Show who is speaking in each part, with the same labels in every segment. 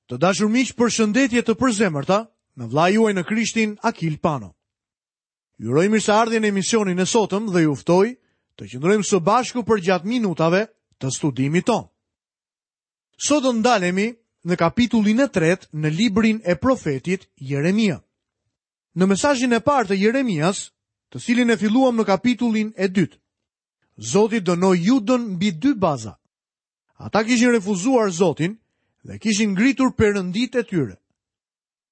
Speaker 1: Të dashur miq, përshëndetje të përzemërta nga vëllai juaj në Krishtin Akil Pano. Ju uroj mirëseardhjen në emisionin e sotëm dhe ju ftoj të qëndrojmë së bashku përgjatë minutave të studimit tonë. Sot do ndalemi në kapitullin e tretë në librin e profetit Jeremia. Në mesazhin e parë të Jeremias, të cilin e filluam në kapitullin e dytë, Zoti dënoi Judën mbi dy baza. Ata kishin refuzuar Zotin dhe kishin ngritur perënditë e tyre.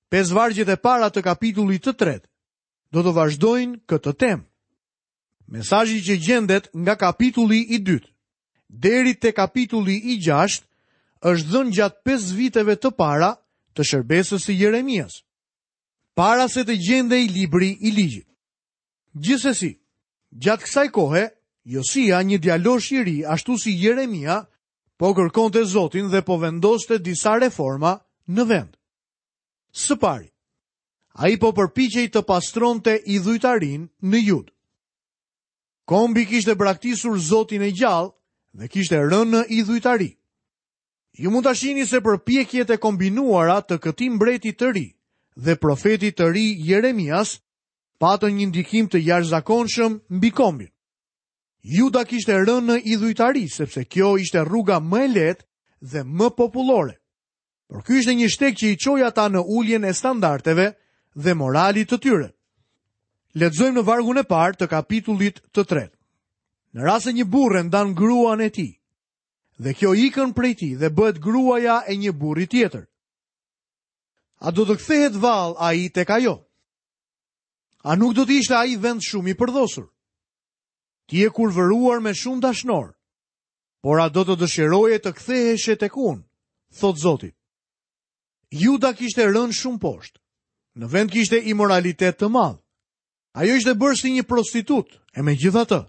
Speaker 1: Pesë vargjet e para të kapitullit të tretë do të vazhdojnë këtë temë. Mesazhi që gjendet nga kapitulli i dytë deri te kapitulli i gjashtë është dhënë gjatë pesë viteve të para të shërbesës së Jeremias, para se të gjendej libri i ligjit. Gjithsesi, gjatë kësaj kohe, Josia, një djalosh i ri, ashtu si Jeremia, po kërkonte Zotin dhe po vendoste disa reforma në vend. Së pari, ai po përpiqej të pastronte idhujtarinë në Judë. Kombi kishte braktisur Zotin e gjallë dhe kishte rënë në idhujtari. Ju mund ta shihni se përpjekjet e kombinuara të këtij mbreti të ri dhe profetit të ri Jeremias patën një ndikim të jashtëzakonshëm mbi kombin. Juda kishte rënë në idhujtari, sepse kjo ishte rruga më e lehtë dhe më popullore. Por ky ishte një shteg që i çoi ata në uljen e standardeve dhe moralit të tyre. Lexojmë në vargun e parë të kapitullit të tretë. Në rast se një burrë e ndan gruan e tij, dhe kjo ikën prej tij dhe bëhet gruaja e një burri tjetër. A do të kthehet vallë ai tek ajo? A nuk do të ishte ai vend shumë i përdhosur? Ti je kurvëruar me shumë dashnorë, por a do të dëshiroje të ktheheshe tek unë, thotë Zoti. Juda kishte rënë shumë poshtë. Në vend kishte imoralitet të madh. Ajo ishte bërë si një prostitutë, e megjithatë,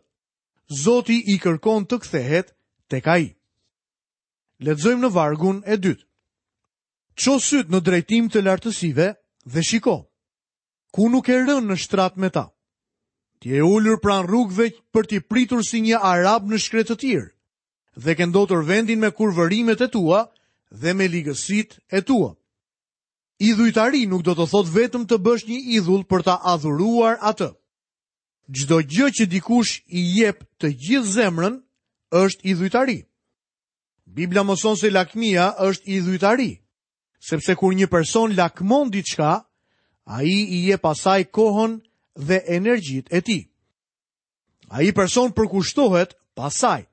Speaker 1: Zoti i kërkon të kthehet tek ai. Lexojmë në vargun e dytë. Ço sytë në drejtim të lartësive dhe shiko. Ku nuk ke rënë në shtrat me ta? Ti je ulur pranë rrugëve për t'i pritur si një arab në shkretëtirë dhe ke ndotur vendin me kurvërimet e tua dhe me ligësitë e tua. Idhujtari nuk do të thotë vetëm të bësh një idhull për ta adhuruar atë. Çdo gjë që dikush i jep të gjithë zemrën është idhujtari. Bibla mëson se lakmia është idhujtari, sepse kur një person lakmon diçka, ai i jep asaj kohën dhe energjitë e tij. Ai person përkushtohet pas saj.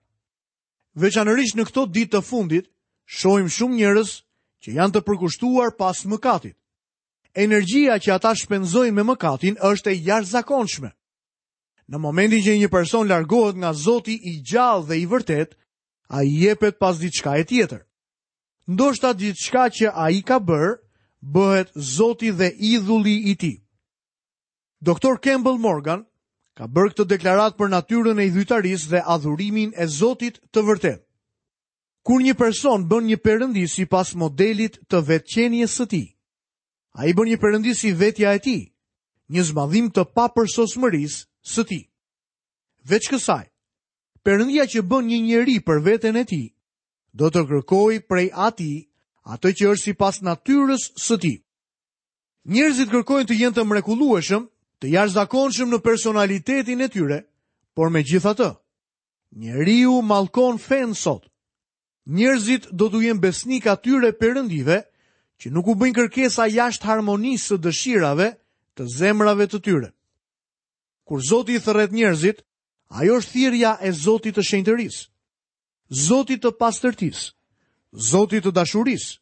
Speaker 1: Veçanërisht në këto ditë të fundit, shohim shumë njerëz që janë të përkushtuar pas mëkatit. Energjia që ata shpenzojnë me mëkatin është e jashtëzakonshme. Në momentin që një person largohet nga Zoti i gjallë dhe i vërtetë, ai jepet pas diçkaje tjetër. Ndoshta diçka që ai ka bërë, bëhet Zoti dhe idhulli i tij. Doktor Campbell Morgan ka bërë këtë deklaratë për natyrën e idhujtarisë dhe adhurimin e Zotit të vërtetë. Kur një person bën një perëndi sipas modelit të vetëqenies së tij, ai bën një perëndi si vetja e tij, një zmadhim të papërsosmërisë së tij. Veç kësaj, perëndia që bën një njeri për veten e tij, do të kërkojë prej atij atë që është sipas natyrës së tij. Njerëzit kërkojnë të jenë të mrekullueshëm, të jashtëzakonshëm në personalitetin e tyre, por megjithatë, njeriu mallkon fenë sot. Njerëzit do t'u jenë besnikë atyre perëndive që nuk u bëjnë kërkesa jashtë harmonisë së dëshirave të zemrave të tyre. Kur Zoti i thërret njerëzit, ajo është thirrja e Zotit të shenjtërisë, Zotit të pastërtisë, Zotit të dashurisë.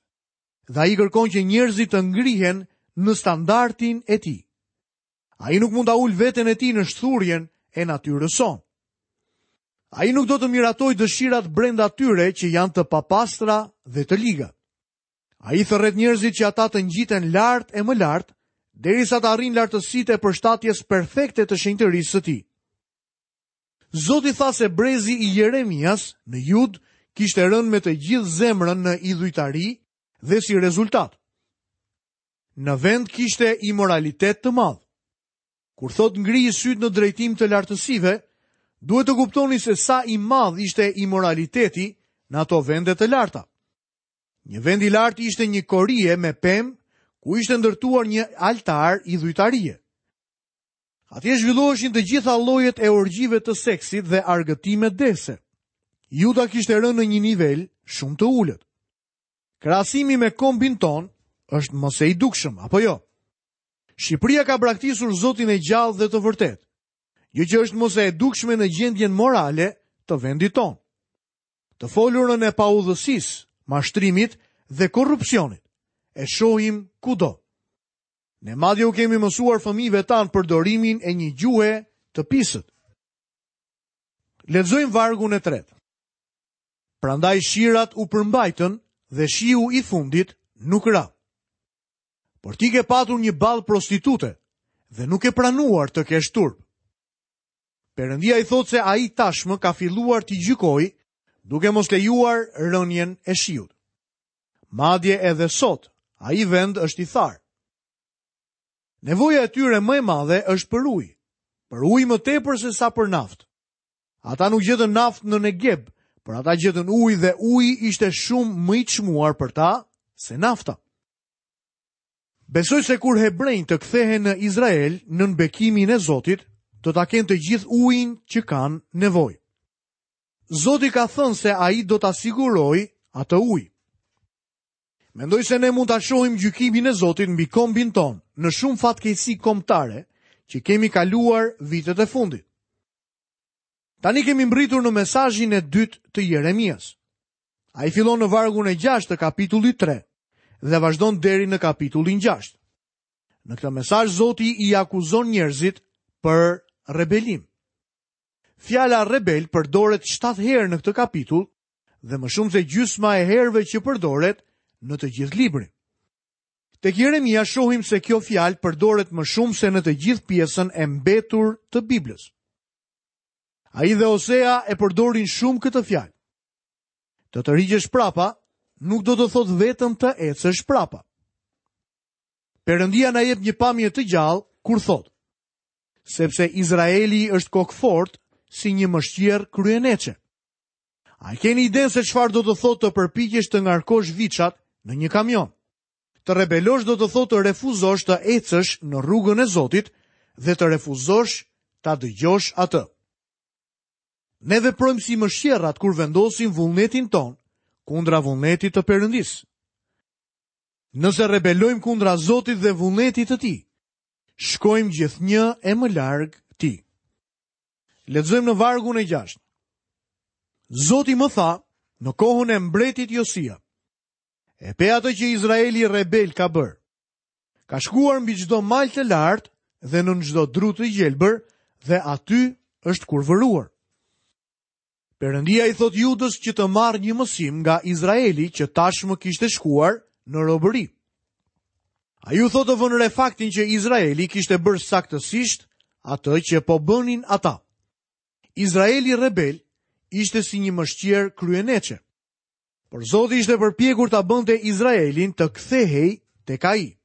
Speaker 1: Dhe ai kërkon që njerëzit të ngrihen në standardin e tij. Ai nuk mund ta ulë veten e tij në shthurjen e natyrës sonë. Ai nuk do të miratojë dëshirat brenda tyre që janë të papastra dhe të liga. Ai thërret njerëzit që ata të ngjiten lart e më lart, derisa të arrijnë lartësitë e përshtatjes perfekte të shenjtërisë së tij. Zoti tha se brezi i Jeremias në Judë kishte rënë me të gjithë zemrën në idhujtari dhe si rezultat. Në vend kishte imoralitet të madh. Kur thotë ngriji sytë në drejtim të lartësive, duhet të kuptoni se sa i madh ishte imoraliteti në ato vende të larta. Një vend i lartë ishte një korije me pemë ku ishte ndërtuar një altar idhujtarie. Atje zhvilloheshin të gjitha llojet e orgjive të seksit dhe argëtime dehëse. Juda kishte rënë në një nivel shumë të ulët. Krahasimi me kombin tonë është më se i dukshëm, apo jo? Shqipëria ka braktisur Zotin e gjallë dhe të vërtetë, gjë që është më se e dukshme në gjendjen morale të vendit tonë. Të folurën e paudhësisë, mashtrimit dhe korrupsionit e shohim kudo. Ne madje u kemi mësuar fëmijëve tanë përdorimin e një gjuhe të pisët. Lexojmë vargun e tretë. Prandaj shirat u përmbajtën dhe shiu i fundit nuk ra. Por ti ke patur një ballë prostitute dhe nuk ke pranuar të kesh turp. Perëndia i thotë se ai tashmë ka filluar t'i gjykojë duke mos lejuar rënien e shiut. Madje edhe sot, ai vend është i tharë. Nevoja e tyre më e madhe është për ujë, për ujë më tepër se sa për naftë. Ata nuk gjetën naftë në Negeb, por ata gjetën ujë dhe uji ishte shumë më i çmuar për ta se nafta. Besoj se kur hebrenjtë të kthehen në Izrael nën bekimin e Zotit, do ta kenë të gjithë ujin që kanë nevojë. Zoti ka thënë se ai do ta sigurojë atë ujë. Mendoj se ne mund ta shohim gjykimin e Zotit mbi kombin tonë në shumë fatkeqësi kombëtare që kemi kaluar vitet e fundit. Tani kemi mbërritur në mesazhin e dytë të Jeremias. Ai fillon në vargun e 6 të kapitullit 3 dhe vazhdon deri në kapitullin 6. Në këtë mesazh Zoti i akuzon njerëzit për rebelim. Fjala rebel përdoret 7 herë në këtë kapitull dhe më shumë se gjysma e herëve që përdoret në të gjithë librin. Tek Jeremia shohim se kjo fjalë përdoret më shumë se në të gjithë pjesën e mbetur të Biblës. Ai dhe Osea e përdorin shumë këtë fjalë. Të tërhiqesh prapa nuk do të thotë vetëm të ecësh prapa. Perëndia na jep një pamje të gjallë kur thotë: Sepse Izraeli është kokëfortë si një mëshqerrë kryeneçe. A e keni idenë se çfarë do të thotë të përpiqesh të ngarkosh viçat në një kamion? Të rebelosh do të thotë të refuzosh të ecësh në rrugën e Zotit dhe të refuzosh ta dëgjosh atë. Ne veprojmë si mëshqerrat kur vendosim vullnetin tonë kundra vullnetit të Perëndisë. Nëse rebelojmë kundra Zotit dhe vullnetit të Tij, shkojmë gjithnjë e më larg Tij. Lexojmë në vargun e 6. Zoti më tha në kohën e mbretit Josia. E pe atë që Izraeli rebel ka bërë. Ka shkuar mbi çdo mal të lartë dhe nën çdo dru të gjelbër dhe aty është kurvëruar. Perëndia i thotë Judës që të marrë një mësim nga Izraeli që tashmë kishte shkuar në robëri. Ai u thotë të vënë re faktin që Izraeli kishte bërë saktësisht atë që po bënin ata. Izraeli rebel ishte si një mëshqerrë kryeneçe. Por Zoti ishte përpjekur ta bënte Izraelin të kthehej tek ai.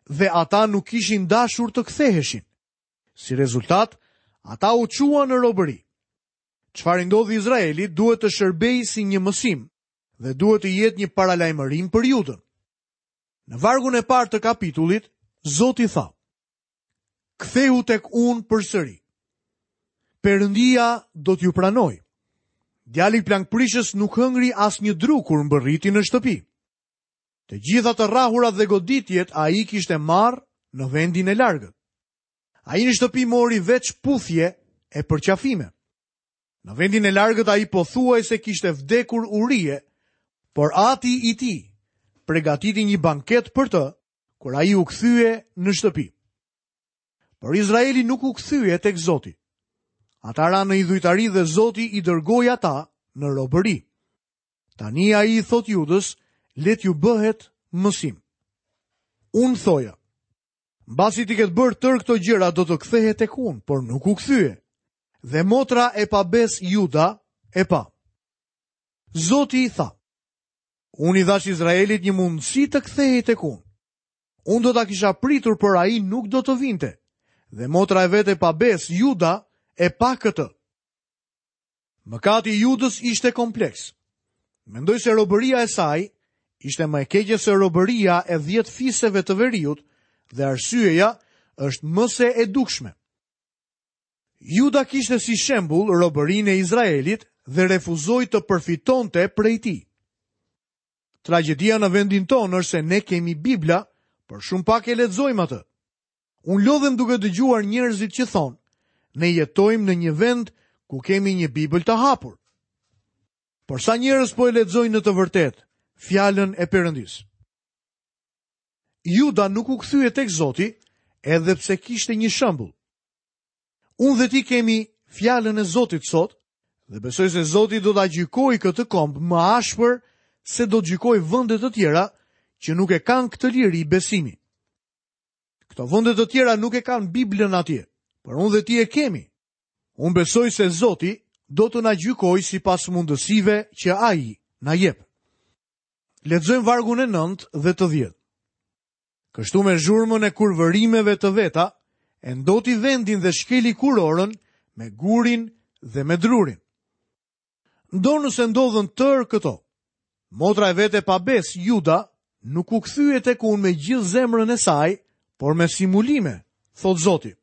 Speaker 1: Dhe ata nuk kishin dashur të ktheheshin. Si rezultat, ata u çuan në robëri. Çfarë i ndodhi Izraelit duhet të shërbejë si një mësim dhe duhet të jetë një paralajmërim për Judën. Në vargun e parë të kapitullit, Zoti tha: Kthehu tek unë përsëri. Perëndia do t'ju pranojë. Djali plangprishës nuk hëngri asnjë dru kur mbërriti në shtëpi. Të gjitha të rrahurat dhe goditjet ai i kishte marrë në vendin e largët. Ai në shtëpi mori veç puthje e përqafime. Në vendin e largët ai pothuajse kishte vdekur urie, por ati i tij pregatiti një banket për të kur ai u kthye në shtëpi. Por Izraeli nuk u kthye tek Zoti. Ata ranë në idhujtari dhe Zoti i dërgoi ata në robëri. Tani ai i thotë Judës, le t'ju bëhet mësim. Unë thoja, mbasi t'i ketë bërë tërë këto gjëra do të kthehet tek unë, por nuk u kthye. Dhe motra e pabesë Juda e pa. Zoti i tha, unë i dhashë Izraelit një mundësi të kthehej tek unë. Unë do ta kisha pritur, por ai nuk do të vinte. Dhe motra e vet e pabesë, Juda, e pa këtë. Mëkati i Judës ishte kompleks. Mendoj se robëria e saj Ishte më e keqe se robëria e 10 fiseve të veriut dhe arsyeja është më se e dukshme. Juda kishte si shembull robërinë e Izraelit dhe refuzoi të përfitonte prej tij. Tragjedia në vendin tonë është se ne kemi Bibla, por shumë pak e lexojmë atë. Unë lodhem duke dëgjuar njerëzit që thonë, ne jetojmë në një vend ku kemi një Bibël të hapur. Por sa njerëz po e lexojnë në të vërtetë fjalën e Perëndisë? Juda nuk u kthye tek Zoti, edhe pse kishte një shembull. Unë dhe ti kemi fjalën e Zotit sot dhe besoj se Zoti do ta gjykojë këtë komb më ashpër se do të gjykojë vende të tjera që nuk e kanë këtë liri besimi. Këto vende të tjera nuk e kanë Biblën atje, por unë dhe ti e kemi. Unë besoj se Zoti do të na gjykojë sipas mundësive që ai na jep. Lexojmë vargun e 9 dhe të 10. Kështu me zhurmën e kurvërimeve të veta, e ndoti vendin dhe shkeli kurorën me gurin dhe me drurin. Ndonëse ndodhën tërë këto, motra e vet e pabesë, Juda, nuk u kthye tek unë me gjithë zemrën e saj, por me simulime, thotë Zoti.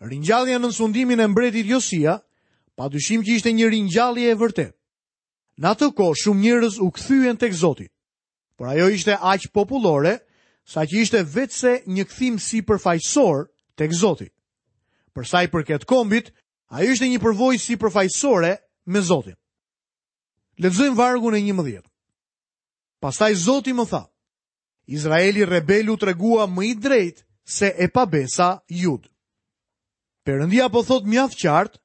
Speaker 1: Ringjallja nën sundimin e mbretit Josia, pa dyshim që ishte një ringjallje e vërtetë. Në atë kohë shumë njerëz u kthyen tek Zoti. Por ajo ishte aq popullore saqë ishte veçse një kthim sipërfaqësor tek Zoti. Për sa i përket kombit, ajo ishte një përvojë sipërfaqësore me Zotin. Lexojmë vargun e 11. Pastaj Zoti më tha: Izraeli rebel u tregua më i drejtë se e pabesa Judë. Perëndia po thotë mjaft qartë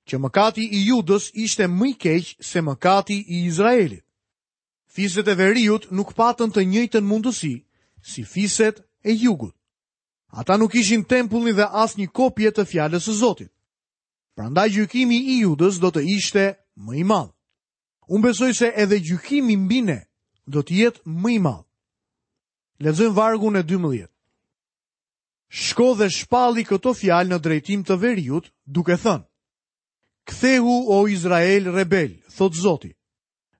Speaker 1: që mëkati i Judës ishte më i keq se mëkati i Izraelit. Fiset e veriut nuk patën të njëjtën mundësi si fiset e jugut. Ata nuk kishin tempullin dhe as një kopje të fjalës së Zotit. Prandaj gjykimi i Judës do të ishte më i madh. Unë besoj se edhe gjykimi mbi ne do të jetë më i madh. Lexojmë vargun e 12. Shko dhe shpalli këto fjalë në drejtim të veriut, duke thënë: Kthehu o Izrael rebel, thotë Zoti.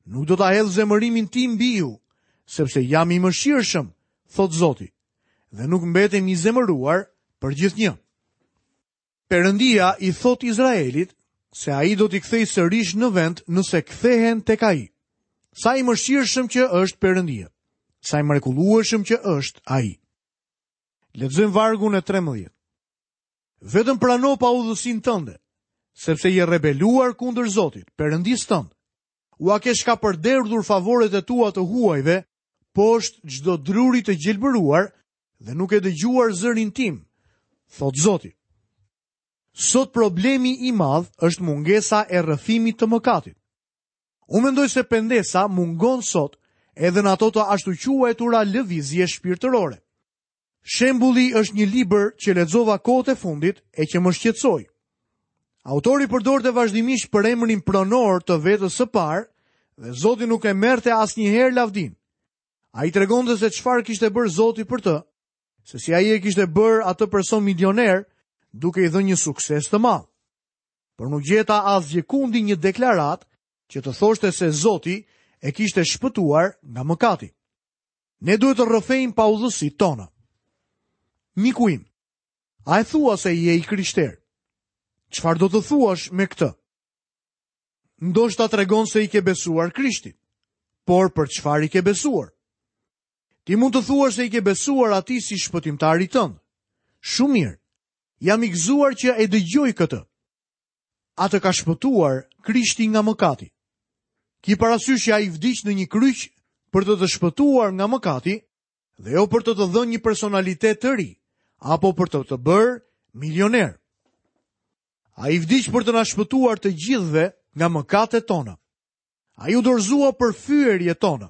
Speaker 1: Nuk do ta hedh zemërimin tim mbi ju, sepse jam i mëshirshëm, thotë Zoti, dhe nuk mbetem i zemëruar përgjithnjë. Perëndia i thotë Izraelit se ai do t'i kthejë sërish në vend nëse kthehen tek ai. Sa i mëshirshëm që është Perëndia. Sa i mrekullueshëm që është ai. Lexojmë vargun e 13. Vetëm prano paudhësinë tënde, sepse je rebeluar kundër Zotit, Perëndisë tënd. Ua ke shkapërderdhur favoret e tua të huajve, poshtë çdo druri të gjelbëruar dhe nuk ke dëgjuar zërin tim, thotë Zoti. Sot problemi i madh është mungesa e rrëfimit të mëkatit. Unë mendoj se pendesa mungon sot edhe në ato të ashtuquajtura lëvizje shpirtërore. Shembulli është një libër që lexova kohët e fundit e që më shqetësoi. Autori përdorte vazhdimisht përemrin pronor të vetës së parë dhe Zoti nuk e merrte asnjëherë lavdinë. Ai tregonte se çfarë kishte bërë Zoti për të, se si ai e kishte bërë atë person milioner duke i dhënë një sukses të madh. Por nuk gjeta asgjëkundi një deklaratë që të thoshte se Zoti e kishte shpëtuar nga mëkati. Ne duhet të rrëfejmë paudhësitë tona. Miku im, a e thua se je i krishterë? Çfarë do të thuash me këtë? Ndoshta tregon se i ke besuar Krishtit. Por për çfarë i ke besuar? Ti mund të thuash se i ke besuar atij si shpëtimtarit tënd. Shumë mirë. Jam i gëzuar që e dëgjoj këtë. A të ka shpëtuar Krishti nga mëkati. Ki parasysh që ai vdiq në një kryq për të të shpëtuar nga mëkati dhe jo për të të dhënë një personalitet të ri apo për të të bërë milioner. Ai vdiq për të na shpëtuar të gjithëve nga mëkatet tona. Ai u dorëzua për fyerjet tona.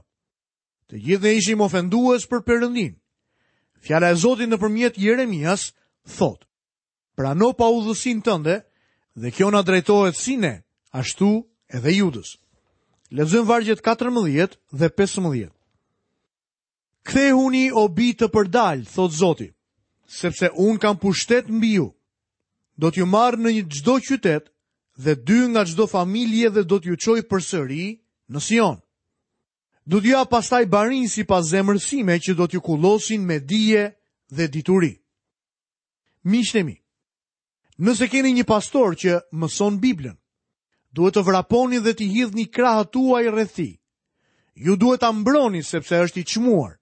Speaker 1: Të gjithë ne ishim ofendues për Perëndinë. Fjala e Zotit nëpërmjet Jeremias thotë: Prano paudhësinë tënde dhe kjo na drejtohet si ne, ashtu edhe Judës. Lexojmë vargjet 14 dhe 15. Kthehuni o bij të përdalë, thotë Zoti, sepse unë kam pushtet mbi ju. Do t'ju marr në një çdo qytet dhe dy nga çdo familje dhe do t'ju çoj përsëri në Sion. Do t'ju jap pastaj barinj sipas zemrës sime që do t'ju kullosin me dije dhe dituri. Miqtë e mi, nëse keni një pastor që mëson Biblën, duhet të vraponi dhe t'i hidhni krahët tuaj rreth tij. Ju duhet ta mbroni sepse është i çmuar.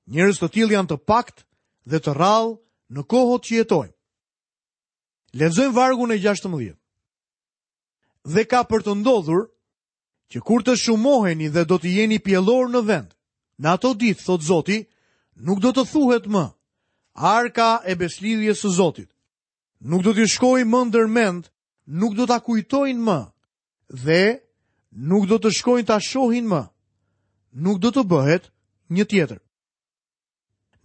Speaker 1: Njerëz të tillë janë të paktë dhe të rrallë në kohët që jetojmë. Lexojmë vargun e 16. Dhe ka për të ndodhur që kur të shumoheni dhe do të jeni pjellorë në vend, në ato ditë, thotë Zoti, nuk do të thuhet më, arka e besëlidhjes së Zotit. Nuk do t'ju shkojë më ndër mend, nuk do ta kujtojnë më dhe nuk do të shkojnë ta shohin më. Nuk do të bëhet një tjetër.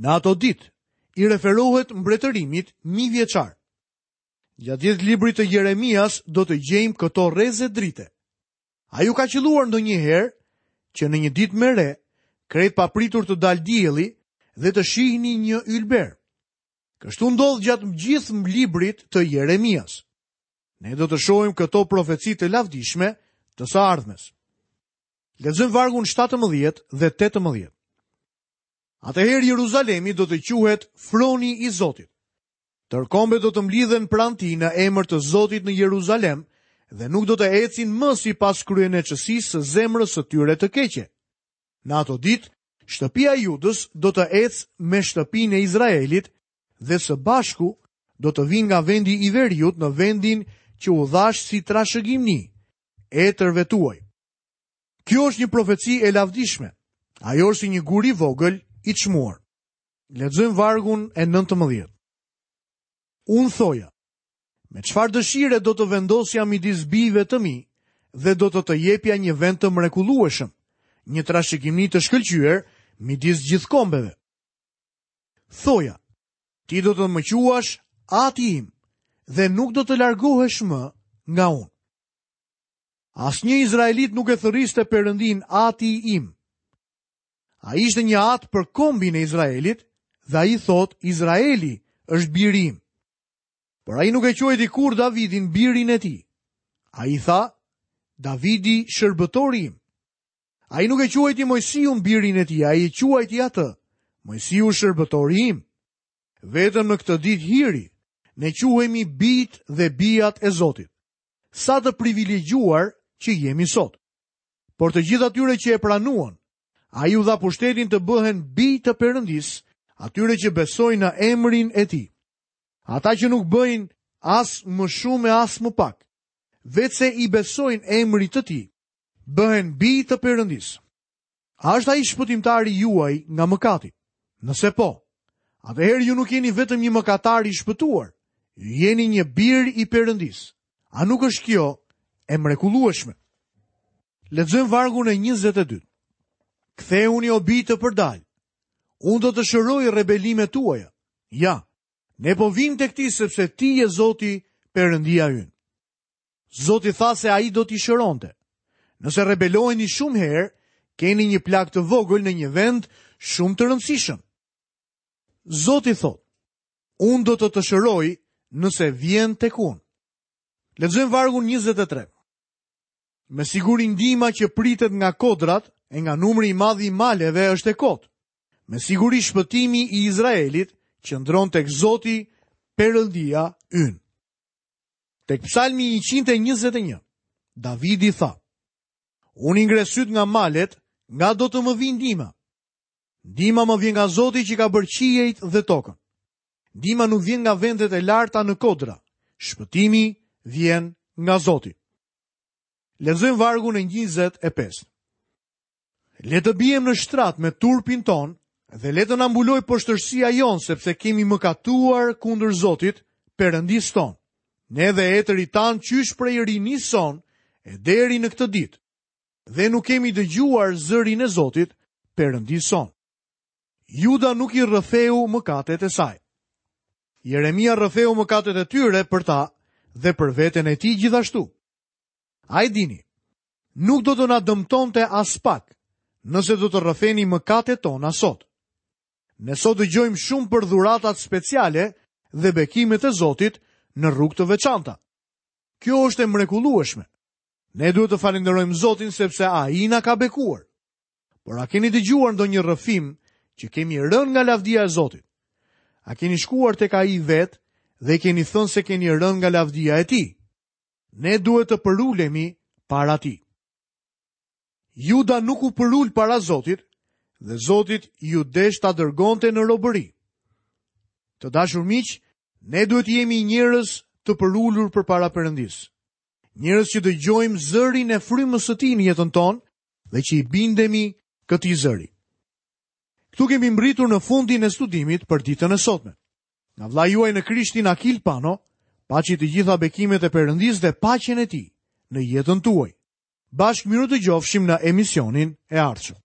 Speaker 1: Në ato ditë, i referohet mbretërimit mijëvjeçar. Gjatë gjithë librit të Jeremias do të gjejmë këto rreze drite. A ju ka qëlluar ndonjëherë që në një ditë me re, krejt papritur të dalë dielli dhe të shihni një ylber? Kështu ndodh gjatë gjithë librit të Jeremias. Ne do të shohim këto profeci të lavdishme të së ardhmes. Lexojmë vargun 17 dhe 18. Atëherë Jeruzalemi do të quhet froni i Zotit. Tërë kombet do të mblidhen pranë tij në emër të Zotit në Jeruzalem dhe nuk do të ecin më sipas kryeneçësisë së zemrës së tyre të keqe. Në ato ditë, shtëpia e Judës do të ecë me shtëpinë e Izraelit dhe së bashku do të vijnë nga vendi i veriut në vendin që u dhashë si trashëgimi etërve tuaj. Kjo është një profeci e lavdishme. Ajo është si një gur i vogël i çmuar. Lexojmë vargun e 19. Unë thoja, me çfarë dëshire do të vendosja midis bijve të mi dhe do të të jepja një vend të mrekullueshëm, një trashëgimi të shkëlqyer midis gjithë kombeve. Thoja, ti do të më quash ati im dhe nuk do të largohesh më nga unë. Asnjë izraelit nuk e thërriste Perëndinë ati im. Ai ishte një atë për kombin e Izraelit dhe ai thotë Izraeli është biri im. Por ai nuk e quajti kurrë Davidin birin e tij. Ai tha, Davidi shërbëtori im. Ai nuk e quajti Moisiun birin e tij, ai e quajti atë, Moisiu shërbëtori im. Vetëm në këtë ditë hiri, ne quhemi bijtë dhe bijat e Zotit. Sa të privilegjuar që jemi sot. Por të gjithë atyre që e pranuan, ai u dha pushtetin të bëhen bij të Perëndisë, atyre që besojnë në emrin e tij. Ata që nuk bëjnë as më shumë e as më pak, veçse i besojnë emrit të tij, bëhen bij të Perëndisë. A është ai shpëtimtari juaj nga mëkati? Nëse po, atëherë ju nuk jeni vetëm një mëkatar i shpëtuar, ju jeni një bir i Perëndisë. A nuk është kjo e mrekullueshme? Lexojmë vargun e 22. Kthehuni o bij të përdalë. Unë do të shëroj rebelimet tuaja. Ja, ne po vijmë tek ti sepse ti je Zoti Perëndia ynë. Zoti tha se ai do t'i shëronte. Nëse rebeloheni shumë herë, keni një plagë të vogël në një vend shumë të rëndësishëm. Zoti thotë, unë do të të shëroj nëse vjen tek unë. Lexojmë vargun 23. Me siguri ndihma që pritet nga kodrat e nga numri i madh i maleve është e kotë. Me siguri shpëtimi i Izraelit qëndron tek Zoti Perëndia ynë. Tek Psalmi 121, Davidi tha: Unë i ngre sytë nga malet, nga do të më vijë ndihma. Ndihma më vjen nga Zoti që ka bërë qiejt dhe tokën. Ndihma nuk vjen nga vendet e larta në kodra. Shpëtimi vjen nga Zoti. Lexojmë vargun e 25. Le të biem në shtrat me turpin tonë dhe le të na mbulojë poshtërsia jonë sepse kemi mëkatuar kundër Zotit, Perëndisë tonë. Ne dhe etërit tanë qysh prej rinisë sonë e deri në këtë ditë. Dhe nuk kemi dëgjuar zërin e Zotit, Perëndisë sonë. Juda nuk i rrëfeu mëkatet e saj. Jeremia rrëfeu mëkatet e tyre për ta dhe për veten e tij gjithashtu. A e dini, nuk do të na dëmtonte aspak nëse do të rrëfenim mëkatet tona sot. Ne sot dëgjojmë shumë për dhuratat speciale dhe bekimet e Zotit në rrugë të veçanta. Kjo është e mrekullueshme. Ne duhet të falënderojmë Zotin sepse ai na ka bekuar. Por a keni dëgjuar ndonjë rrëfim që kemi rënë nga lavdia e Zotit? A keni shkuar tek ai vetë dhe i keni thënë se keni rënë nga lavdia e tij? Ne duhet të përulemi para tij. Juda nuk u përul para Zotit dhe Zotit iu desh ta dërgonte në robëri. Të dashur miq, ne duhet të jemi njerëz të përulur përpara Perëndisë. Njerëz që dëgjojmë zërin e frymës së tij në jetën tonë dhe që i bindemi këtij zëri. Këtu kemi mbërritur në fundin e studimit për ditën e sotme. Nga vëllai juaj në Krishtin Akil Pano, paçi të gjitha bekimet e Perëndisë dhe paqen e tij në jetën tuaj. Bashkë mirudëgjofshim në emisionin e ardhshëm.